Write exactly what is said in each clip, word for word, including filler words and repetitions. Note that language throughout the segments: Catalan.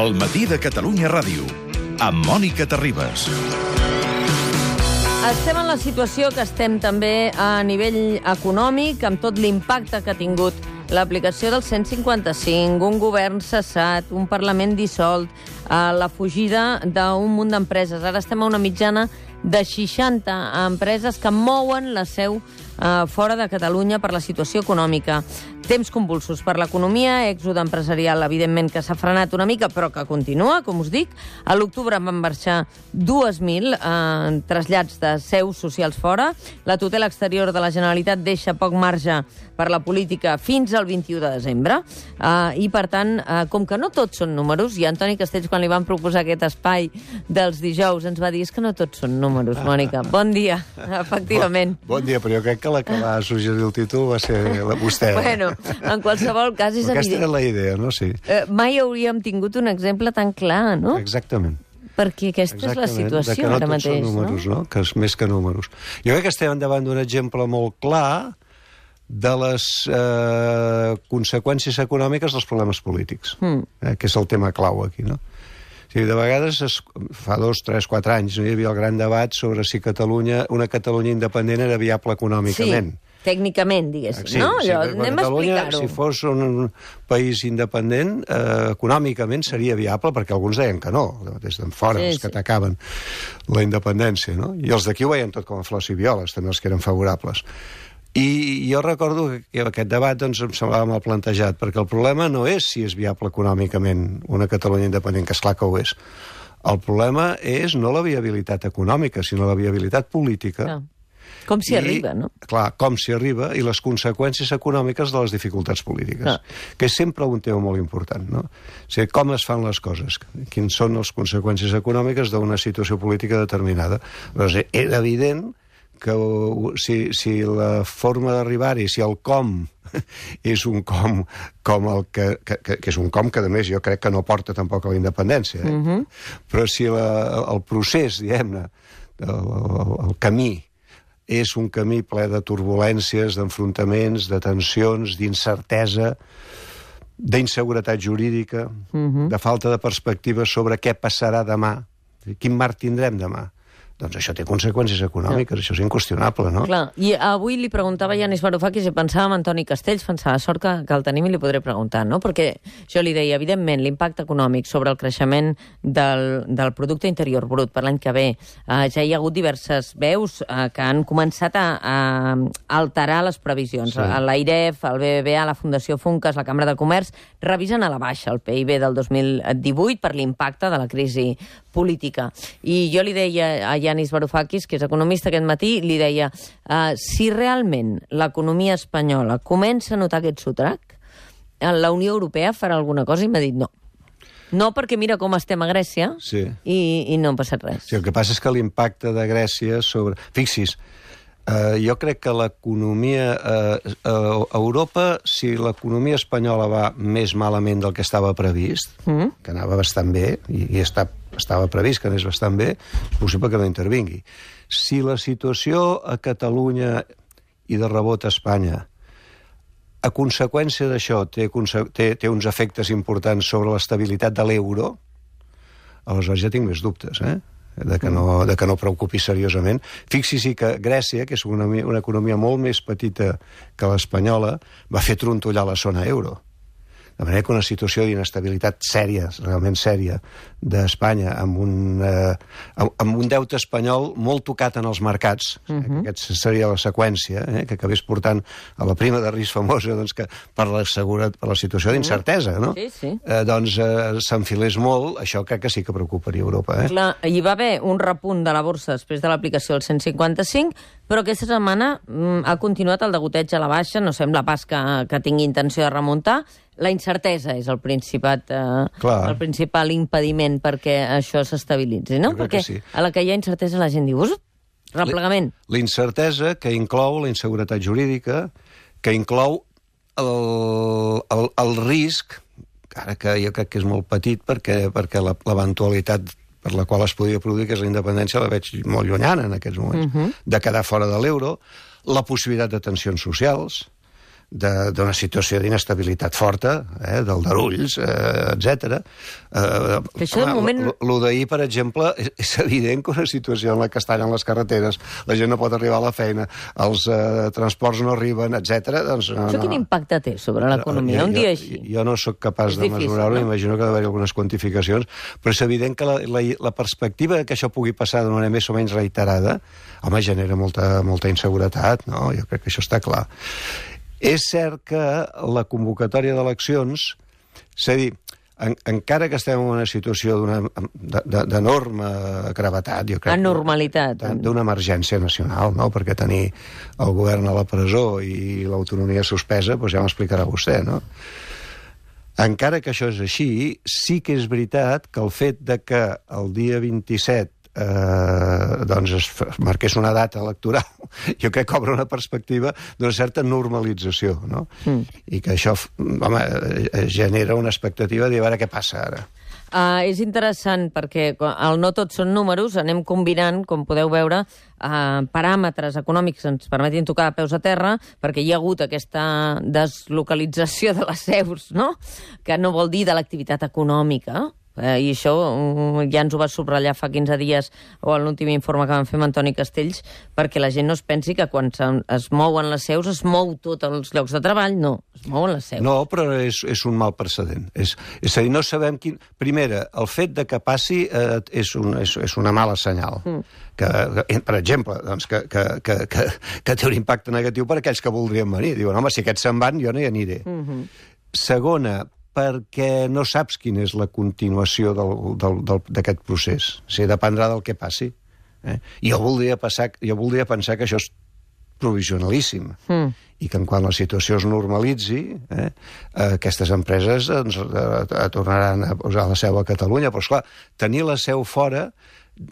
El matí de Catalunya Ràdio, amb Mònica Terribas. Estem en la situació que estem també a nivell econòmic, amb tot l'impacte que ha tingut l'aplicació del cent cinquanta cinc, un govern cessat, un Parlament dissolt, eh, la fugida d'un munt d'empreses. Ara estem a una mitjana de seixanta empreses que mouen la seu eh, fora de Catalunya per la situació econòmica. Temps convulsos per l'economia, èxode empresarial, evidentment, que s'ha frenat una mica, però que continua, com us dic. A l'octubre van marxar dos mil eh, trasllats de seus socials fora. La tutela exterior de la Generalitat deixa poc marge per la política fins al vint-i-u de desembre. Eh, I, per tant, eh, com que no tots són números, i Antoni Castells, quan li van proposar aquest espai dels dijous, ens va dir és que no tots són números, Mònica. Bon dia, efectivament. Bon, bon dia, però jo crec que la que va suggerir el títol va ser la, vostè. Bueno, en qualsevol cas és Aquesta evident. era la idea, no? Sí. Eh, mai hauríem tingut un exemple tan clar, no? Exactament. Perquè aquesta Exactament, és la situació que no ara tots mateix, són números, no? no? Que és més que números. Jo crec que estem davant d'un exemple molt clar de les eh, conseqüències econòmiques dels problemes polítics, mm. eh, que és el tema clau aquí, no? O sigui, de vegades, es, fa dos, tres, quatre anys, no hi havia el gran debat sobre si Catalunya, una Catalunya independent era viable econòmicament. Sí. Tècnicament, diguéssim, sí, no? Sí, Allò, anem a explicar-ho. Si fos un país independent, eh, econòmicament seria viable, perquè alguns deien que no, des d'en fora, Sí, els que sí. atacaven la independència, no? I els d'aquí ho veien tot com a flors i violes, també els que eren favorables. I jo recordo que aquest debat doncs, em semblava mal plantejat, perquè el problema no és si és viable econòmicament una Catalunya independent, que esclar que ho és. El problema és no la viabilitat econòmica, sinó la viabilitat política. No. Com s'hi arriba, no? Clar, com s'hi arriba i les conseqüències econòmiques de les dificultats polítiques, Ah. que és sempre un tema molt important, no? O sigui, com es fan les coses, quines són les conseqüències econòmiques d'una situació política determinada. Però és evident que si, si la forma d'arribar-hi, si el com és un com, com el que, que, que és un com que, a més, jo crec que no porta tampoc a la independència, eh? Mm-hmm. Però si la, el procés, diguem-ne, el, el, el camí, és un camí ple de turbulències, d'enfrontaments, de tensions, d'incertesa, d'inseguretat jurídica, mm-hmm. de falta de perspectiva sobre què passarà demà, quin marc tindrem demà. Doncs això té conseqüències econòmiques, no. Això és inqüestionable, no? Clar, i avui li preguntava a Yanis Varoufakis i pensava en Antoni Castells, pensava, sort que, que el tenim i li podré preguntar, no? Perquè jo li deia, evidentment, l'impacte econòmic sobre el creixement del, del producte interior brut per l'any que ve, eh, ja hi ha hagut diverses veus eh, que han començat a, a alterar les previsions. Sí. L'AIREF, el B B V A, la Fundació Funcas, la Cambra de Comerç, revisen a la baixa el P I B del dos mil divuit per l'impacte de la crisi política. I jo li deia a Yanis Varoufakis, que és economista aquest matí, li deia, uh, si realment l'economia espanyola comença a notar aquest sotrac, la Unió Europea farà alguna cosa, i m'ha dit no. No, perquè mira com estem a Grècia, sí. i, i no ha passat res. Sí, el que passa és que l'impacte de Grècia sobre... Fixis, Uh, jo crec que l'economia uh, a Europa, si l'economia espanyola va més malament del que estava previst, mm. que anava bastant bé, i, i està, estava previst que anés bastant bé, és possible que no intervingui. Si la situació a Catalunya i de rebot a Espanya, a conseqüència d'això, té, té, té uns efectes importants sobre l'estabilitat de l'euro, aleshores ja tinc més dubtes, eh? De que, no, de que no preocupi seriosament. Fixi-s'hi que Grècia, que és una, una economia molt més petita que l'espanyola, va fer trontollar la zona euro. De manera que una situació d'inestabilitat sèria, realment sèria, d'Espanya, amb, un, eh, amb un deute espanyol molt tocat en els mercats, uh-huh. eh, que aquesta seria la seqüència, eh, que acabés portant a la prima de risc famosa, doncs, que per la, seguretat, per la situació d'incertesa, no? Sí, sí. Eh, doncs eh, s'enfilés molt, això crec que sí que preocuparia Europa. Eh? Clar, hi va haver un repunt de la borsa després de l'aplicació del cent cinquanta cinc, però aquesta setmana mm, ha continuat el degoteig a la baixa, no sembla pas que, que tingui intenció de remuntar. La incertesa és el, principat, eh, el principal impediment perquè això s'estabilitzi, no? Perquè sí. A la que hi ha incertesa la gent diu, replegament. La incertesa que inclou la inseguretat jurídica, que inclou el, el, el risc, ara que jo crec que és molt petit perquè, perquè l'eventualitat per la qual es podria produir, que és la independència, la veig molt llunyana en aquests moments, uh-huh. de quedar fora de l'euro, la possibilitat de tensions socials, d'una situació d'inestabilitat forta, eh, d'aldarulls, eh, etcètera. Eh, que això de moment... Lo d'ahir, per exemple, és, és evident que una situació en la que estan en les carreteres, la gent no pot arribar a la feina, els eh, transports no arriben, etcètera. Doncs, no, això quin no. impacte té sobre l'economia? Un dia així? Jo, jo no sóc capaç de mesurar-ho, no? Imagino que ha d'haver algunes quantificacions, però és evident que la, la, la perspectiva que això pugui passar d'una manera més o menys reiterada, home, genera molta, molta inseguretat, no? Jo crec que això està clar. És cert que la convocatòria d'eleccions, és a dir, en, encara que estem en una situació d'enorme gravetat, jo crec... Anormalitat. D'una emergència nacional, no? Perquè tenir el govern a la presó i l'autonomia suspesa, doncs ja m'explicarà vostè, no? Encara que això és així, sí que és veritat que el fet de que el dia vint-i-set Eh, doncs es marqués una data electoral, jo crec que obre una perspectiva d'una certa normalització, no? Mm. I que això, home, genera una expectativa de veure què passa ara. Uh, és interessant perquè el no tots són números, anem combinant, com podeu veure, uh, paràmetres econòmics que ens permetin tocar a peus a terra, perquè hi ha hagut aquesta deslocalització de les seus, no? Que no vol dir de l'activitat econòmica, Eh, i això um, ja ens ho va subratllar fa quinze dies o en l'últim informe que vam fer amb Antoni Castells, perquè la gent no es pensi que quan es mouen les seus es mou tots els llocs de treball, no, es mouen les seus. No, però és, és un mal precedent. És, és a dir, no sabem quin... Primera, el fet de que passi eh, és, un, és, és una mala senyal. Mm. Que, que, per exemple, doncs, que, que, que, que, que té un impacte negatiu per aquells que voldrien venir. Diuen, home, si aquests se'n van, jo no hi aniré. Mm-hmm. Segona, perquè no saps quina és la continuació d'aquest procés. O sigui, dependrà del que passi. Eh? Jo, voldria passar, jo voldria pensar que això és provisionalíssim mm. i que quan la situació es normalitzi, eh, aquestes empreses doncs, tornaran a posar la seu a Catalunya. Però, esclar, tenir la seu fora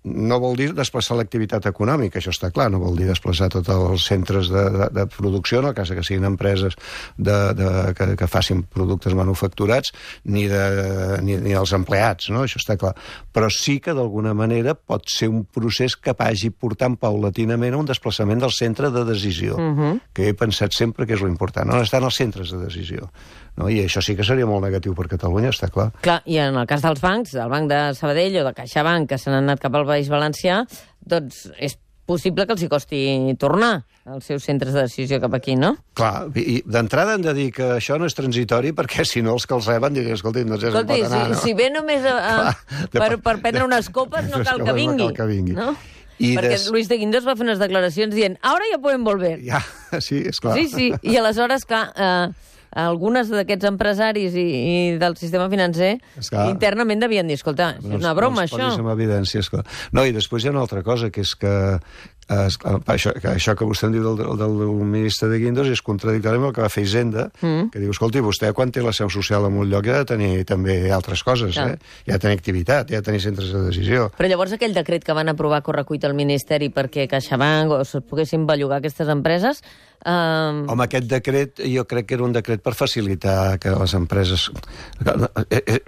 no vol dir desplaçar l'activitat econòmica, això està clar, no vol dir desplaçar tots els centres de, de, de producció, en el cas que siguin empreses de, de, que, que facin productes manufacturats, ni, de, ni, ni els empleats, no? Això està clar. Però sí que d'alguna manera pot ser un procés que vagi portant paulatinament a un desplaçament del centre de decisió, uh-huh. que he pensat sempre que és l'important, on estan els centres de decisió. No? I això sí que seria molt negatiu per Catalunya, està clar. Clar, i en el cas dels bancs, del Banc de Sabadell o de CaixaBank, que se n'han anat cap al País Valencià, doncs és possible que els hi costi tornar als seus centres de decisió cap aquí, no? Clar, i d'entrada hem de dir que això no és transitori, perquè si no els que els reben diuen, escolti, no sé si Escolti, pot anar, si, no? si ve només a, a, Clar, per, per prendre unes copes no cal que vingui. No cal que vingui. No? I perquè des... Luis de Guindos va fer unes declaracions dient ara ja podem volver. Ja, sí, és clar. Sí, sí, i aleshores, clar... Eh, algunes d'aquests empresaris i, i del sistema financer esclar, internament devien dir, escolta, és una broma, no això. Amb evidència, esclar. No, i després hi ha una altra cosa, que és que, eh, això, que això que vostè em diu del, del, del ministre de Guindos és contradictori amb el que va fer Hisenda, mm. que diu, escolti, vostè quan té la seu social en un lloc ja ha de tenir també altres coses, ja. eh? Ja ha de tenir activitat, ja ha de tenir centres de decisió. Però llavors aquell decret que van aprovar a correcuita al Ministeri perquè CaixaBank o es poguessin bellugar aquestes empreses... Um... Home, aquest decret jo crec que era un decret per facilitar que les empreses...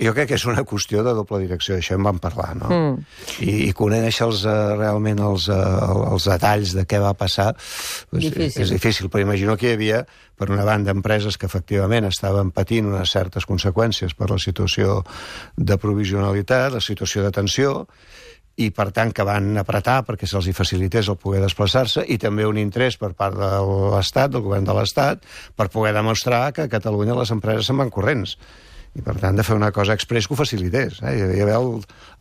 Jo crec que és una qüestió de doble direcció, això en vam parlar, no? Mm. I, i conèixer els, uh, realment els, uh, els detalls de què va passar doncs, difícil. És difícil, però imagino que hi havia, per una banda, empreses que efectivament estaven patint unes certes conseqüències per la situació de provisionalitat, la situació de tensió, i per tant que van apretar perquè se'ls hi facilités el poder desplaçar-se, i també un interès per part de l'Estat, del govern de l'Estat, per poder demostrar que a Catalunya les empreses se'n van corrents. I per tant de fer una cosa express que ho facilités. Eh? Hi havia el,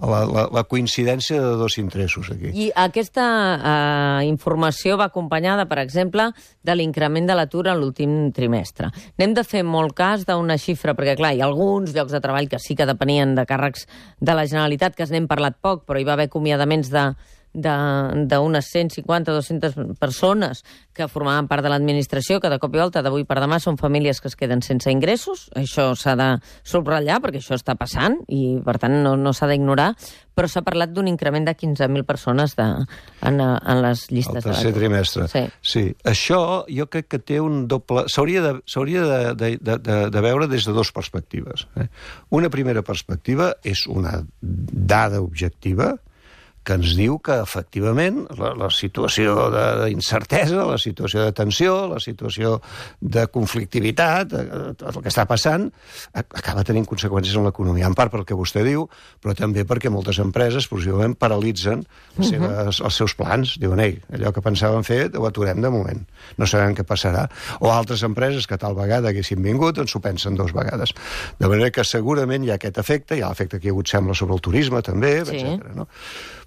la, la, la coincidència de dos interessos aquí. I aquesta eh, informació va acompanyada, per exemple, de l'increment de l'atur en l'últim trimestre. N'hem de fer molt cas d'una xifra, perquè clar, hi ha alguns llocs de treball que sí que depenien de càrrecs de la Generalitat, que n'hem parlat poc, però hi va haver acomiadaments de d'unes cent cinquanta a dues-centes persones que formaven part de l'administració, que de cop i volta, d'avui per demà, són famílies que es queden sense ingressos. Això s'ha de subratllar, perquè això està passant, i per tant no, no s'ha d'ignorar, però s'ha parlat d'un increment de quinze mil persones de, en, en les llistes de l'atur. El tercer trimestre. Sí. sí. Això jo crec que té un doble... S'hauria de, s'hauria de, de, de, de, de veure des de dues perspectives. Eh? Una primera perspectiva és una dada objectiva que ens diu que, efectivament, la, la situació d'incertesa, la situació de tensió, la situació de conflictivitat, el que està passant, acaba tenint conseqüències en l'economia, en part pel que vostè diu, però també perquè moltes empreses, possiblement, paralitzen les seves, els seus plans. Diuen, ei, allò que pensàvem fer ho aturem de moment, no sabem què passarà. O altres empreses que tal vegada haguessin vingut, ens ho pensen dues vegades. De manera que segurament hi ha aquest efecte, hi ha l'efecte que hi ha hagut, sembla, sobre el turisme, també, sí. etcètera. No?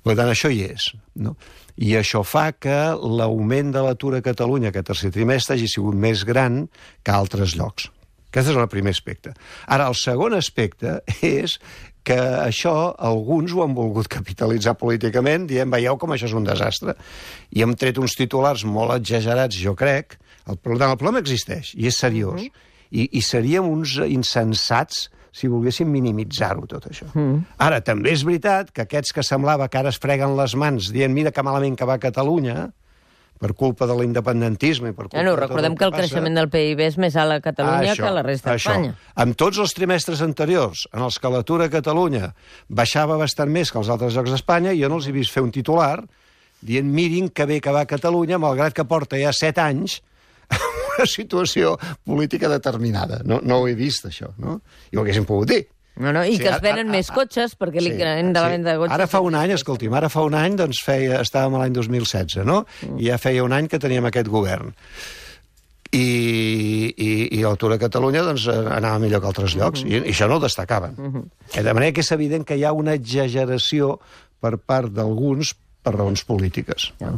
Per tant, això hi és. No? I això fa que l'augment de l'atur a Catalunya aquest tercer trimestre hagi sigut més gran que a altres llocs. Aquest és el primer aspecte. Ara, el segon aspecte és que això alguns ho han volgut capitalitzar políticament, dient, veieu com això és un desastre. I hem tret uns titulars molt exagerats, jo crec. El problema, el problema existeix, i és seriós. Mm-hmm. I, I seríem uns insensats si volguéssim minimitzar-ho, tot això. Mm. Ara, també és veritat que aquests que semblava que ara es freguen les mans dient mira que malament que va a Catalunya, per culpa de l'independentisme i per culpa bueno, de tot recordem el que que el passa... creixement del P I B és més alt a Catalunya això, que a la resta d'Espanya. En tots els trimestres anteriors, en els que l'atur a Catalunya baixava bastant més que als altres llocs d'Espanya, jo no els he vist fer un titular dient mirin que bé que va a Catalunya, malgrat que porta ja set anys una situació política determinada. No, no ho he vist, això, no? I ho haguéssim pogut dir. No, no, i sí, que es venen a, a, més cotxes, perquè sí, l'increment de la venda de cotxes... Ara fa un any, escolti'm, ara fa un any, doncs feia, estàvem a l'any dos mil setze, no? Mm. I ja feia un any que teníem aquest govern. I, i, i l'atur a Catalunya doncs, anava millor que altres llocs, mm-hmm. i, i això no ho destacaven. Mm-hmm. De manera que és evident que hi ha una exageració per part d'alguns per raons polítiques. Ja.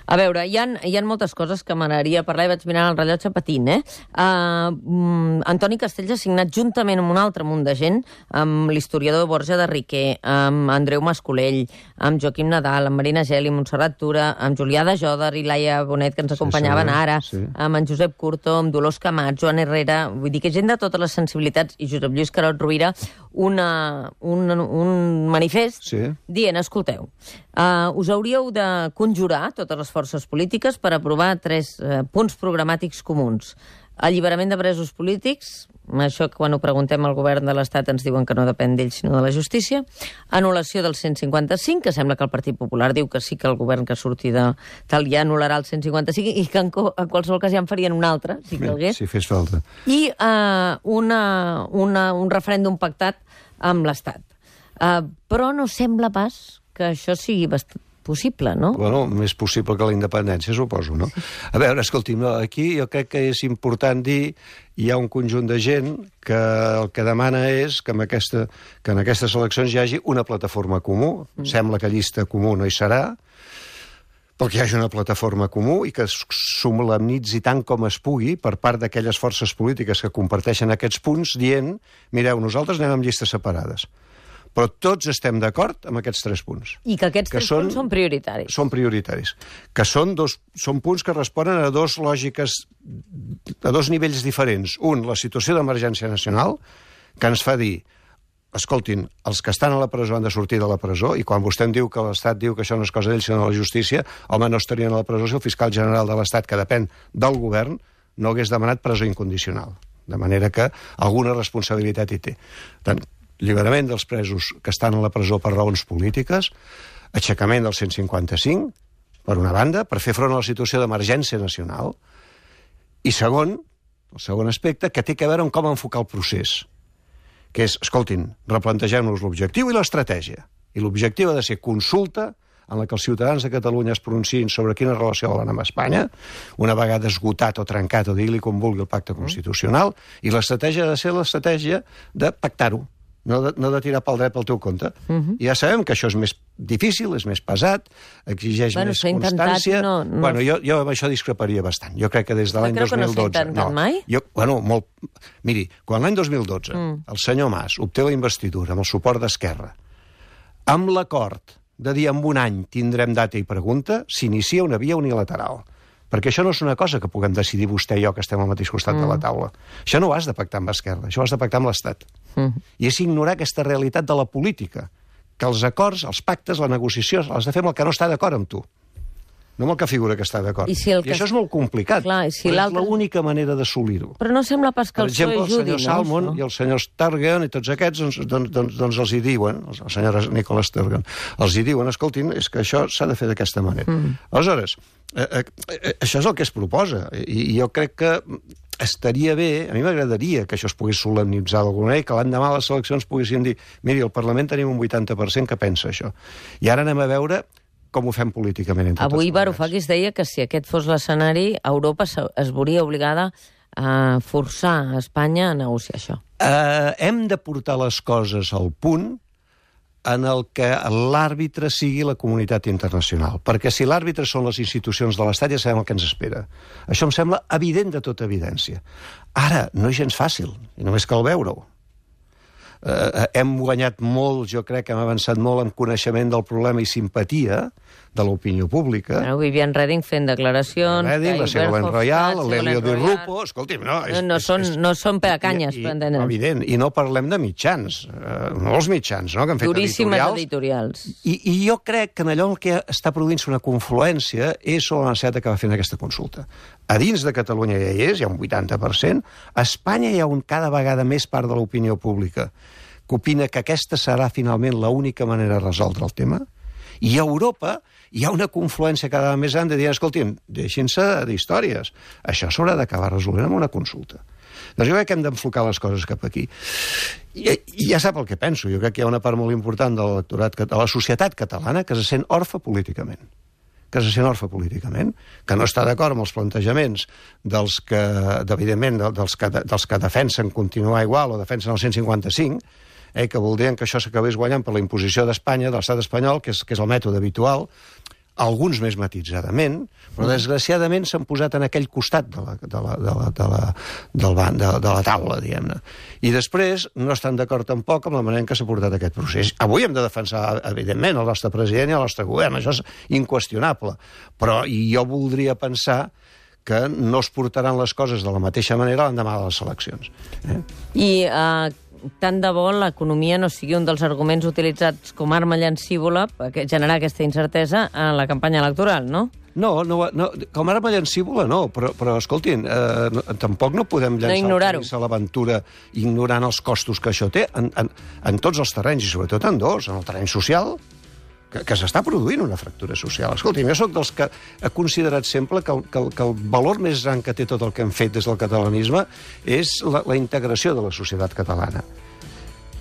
A veure, hi ha, hi ha moltes coses que m'agradaria parlar i vaig mirant el rellotge patint, eh? Uh, um, Antoni Castells ha signat juntament amb un altre munt de gent, amb l'historiador Borja de Riquer, amb Andreu Mascolell, amb Joaquim Nadal, amb Marina Geli, Montserrat Tura, amb Julià de Jòdar i Laia Bonet, que ens acompanyaven sí, sí, ara, sí. amb en Josep Curto, amb Dolors Camats, Joan Herrera, vull dir que gent de totes les sensibilitats, i Josep Lluís Carot Rovira, una, un, un manifest sí. dient, escolteu, uh, us hauríeu de conjurar totes les forces polítiques per aprovar tres eh, punts programàtics comuns. Alliberament de presos polítics, això que quan ho preguntem al govern de l'Estat ens diuen que no depèn d'ells sinó de la justícia, anul·lació del cent cinquanta-cinc, que sembla que el Partit Popular diu que sí que el govern que surti de tal ja anul·larà el cent cinquanta-cinc i que en, en qualsevol cas ja en farien un altre, si calgués. Si fes falta. I uh, una, una, un referèndum pactat amb l'Estat. Uh, però no sembla pas que això sigui bastant possible, no? Bueno, més possible que la independència, suposo, no? A veure, escolti'm, no, aquí jo crec que és important dir hi ha un conjunt de gent que el que demana és que en, aquesta, que en aquestes eleccions hi hagi una plataforma comú. Mm. Sembla que llista comú no hi serà, però que hi hagi una plataforma comú i que es solemnitzi tant com es pugui per part d'aquelles forces polítiques que comparteixen aquests punts, dient, mireu, nosaltres anem amb llistes separades. Però tots estem d'acord amb aquests tres punts. I que aquests que tres són, punts són prioritaris. Són prioritaris. Que són, dos, són punts que responen a dos lògiques, a dos nivells diferents. Un, la situació d'emergència nacional, que ens fa dir, escoltin, els que estan a la presó han de sortir de la presó, i quan vostè em diu que l'Estat diu que això no és cosa d'ells, sinó de la justícia, home, no estarien a la presó si el fiscal general de l'Estat, que depèn del govern, no hagués demanat presó incondicional. De manera que alguna responsabilitat hi té. Tant, alliberament dels presos que estan a la presó per raons polítiques, aixecament del cent cinquanta-cinc, per una banda, per fer front a la situació d'emergència nacional, i segon, el segon aspecte, que té a veure amb com enfocar el procés, que és, escoltin, replantegem-nos l'objectiu i l'estratègia. I l'objectiu ha de ser consulta en la que els ciutadans de Catalunya es pronunciïn sobre quina relació volen amb Espanya, una vegada esgotat o trencat, o dir-li com vulgui el pacte constitucional, i l'estratègia ha de ser l'estratègia de pactar-ho, no de, no de tirar pel dret pel teu compte. Uh-huh. I ja sabem que això és més difícil, és més pesat, exigeix bueno, més constància... No, no... Bueno, jo, jo amb això discreparia bastant. Jo crec que des de l'any dos mil dotze... No creu que no s'ha intentat mai? Jo, bueno, molt... Miri, quan l'any dos mil dotze mm. el senyor Mas obté la investidura amb el suport d'Esquerra, amb l'acord de dir en un any tindrem data i pregunta, s'inicia una via unilateral. Perquè això no és una cosa que puguem decidir vostè i jo, que estem al mateix costat mm. de la taula. Això no ho has de pactar amb Esquerra, això ho has de pactar amb l'Estat. Mm. I és ignorar aquesta realitat de la política, que els acords, els pactes, la negociació, has de fer amb el que no està d'acord amb tu. no amb el que figura que està d'acord. I, si I que... això és molt complicat, Clar, si però l'altre... és l'única manera d'assolir-ho. Però no sembla pas que per el P S O exemple, E ajudi, el senyor Salmon no? i el senyor Sturgeon i tots aquests, doncs, doncs, doncs, doncs els hi diuen, el senyor Nicola Sturgeon, els hi diuen, escoltin, és que això s'ha de fer d'aquesta manera. Mm. Aleshores, eh, eh, això és el que es proposa, i, i jo crec que estaria bé, a mi m'agradaria que això es pogués solemnitzar d'alguna manera i que l'endemà a les eleccions poguéssim dir, miri, al Parlament tenim un vuitanta per cent que pensa això. I ara anem a veure com ho fem políticament entre Avui tots. Varoufakis deia que si aquest fos l'escenari, Europa es veuria obligada a forçar a Espanya a negociar això. Uh, hem de portar les coses al punt en el que l'àrbitre sigui la comunitat internacional. Perquè si l'àrbitre són les institucions de l'Estat, ja sabem el que ens espera. Això em sembla evident de tota evidència. Ara, no és gens fàcil, i només cal veure-ho. Uh, hem guanyat molt, jo crec que hem avançat molt en coneixement del problema i simpatia de l'opinió pública. Bueno, Vivian Reding fent declaracions... Reding, la Ségolène Royal, l'Elio Di Rupo... Escolti'm, no... És, no, no, és, són, és, no són per a canyes, per entendre. Evident, i no parlem de mitjans, uh, molts mitjans, no?, que han fet Duríssimes editorials. editorials. I, I jo crec que en allò en què està produint-se una confluència és sobre la necessitat d'acabar fent aquesta consulta. A dins de Catalunya ja hi és, hi ha un vuitanta per cent. A Espanya hi ha un cada vegada més part de l'opinió pública que opina que aquesta serà finalment l'única manera de resoldre el tema. I a Europa hi ha una confluència cada vegada més gran de dir, escolti'm, deixin-se d'històries. Això s'haurà d'acabar resolent amb una consulta. Doncs jo crec que hem d'enfocar les coses cap aquí. I, I ja sap el que penso. Jo crec que hi ha una part molt important de l'electorat, de la societat catalana que se sent orfe políticament. que se sent orfe políticament, que no està d'acord amb els plantejaments dels que, evidentment, dels que, dels que defensen continuar igual o defensen el cent cinquanta-cinc, eh, que voldrien que això s'acabés guanyant per la imposició d'Espanya, de l'estat espanyol, que és, que és el mètode habitual, alguns més matitzadament, però desgraciadament s'han posat en aquell costat de la, de la, de la, de la, del ban, de, de la taula, diguem-ne. I després no estan d'acord tampoc amb la manera en què s'ha portat aquest procés. Avui hem de defensar, evidentment, el nostre president i el nostre govern, això és inqüestionable, però jo voldria pensar que no es portaran les coses de la mateixa manera l'endemà de les eleccions. Eh? I uh, tant de bo l'economia no sigui un dels arguments utilitzats com a arma llancívola per generar aquesta incertesa en la campanya electoral, no? No, no, no com a arma llancívola no, però, però escoltin, eh, no, tampoc no podem llançar no a l'aventura ignorant els costos que això té en, en, en tots els terrenys, i sobretot en dos, en el terreny social, que, que s'està produint una fractura social. Escolti'm, jo soc dels que he considerat sempre que el, que, el, que el valor més gran que té tot el que hem fet des del catalanisme és la, la integració de la societat catalana.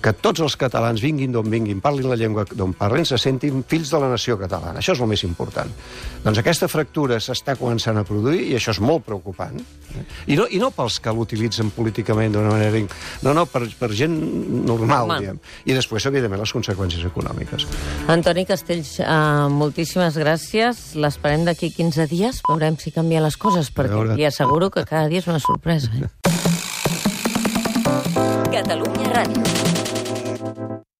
Que tots els catalans, vinguin d'on vinguin, parlin la llengua d'on parlin, se sentin fills de la nació catalana. Això és el més important. Doncs aquesta fractura s'està començant a produir i això és molt preocupant. I no, i no pels que l'utilitzen políticament d'una manera... No, no, per, per gent normal, Home. diguem. I després, evidentment, les conseqüències econòmiques. Antoni Castells, uh, moltíssimes gràcies. L'esperem d'aquí quinze dies. Veurem si canvien les coses, perquè li asseguro que cada dia és una sorpresa. Eh? Catalunya Ràdio.